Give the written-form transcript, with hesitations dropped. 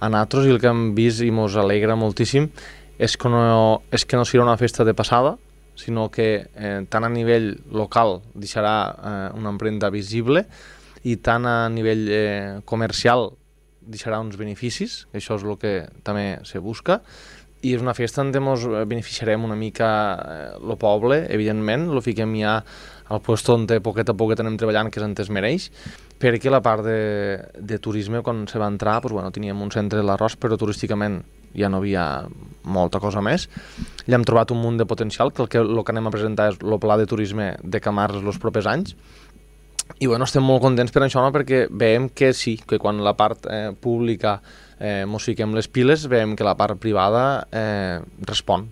a nosaltres, i el que hem vist i ens alegra moltíssim és que no serà una festa de passada, sinó que tant a nivell local deixarà una empremta visible i tant a nivell comercial deixarà uns beneficis, això és el que també se busca, i és una festa on ens beneficiarem una mica el poble, evidentment, lo fiquem ja al lloc on poquet a poquet anem treballant, que és on es mereix, perquè la part de turisme, quan se va entrar, teníem un centre de l'arròs, però turísticament ja no havia molta cosa més. Ja hem trobat un munt de potencial, que el que anem a presentar és el pla de turisme de Camarles els propers anys, i estem molt contents per això, perquè veiem que sí, que quan la part pública mos fiquem les piles, veiem que la part privada respon.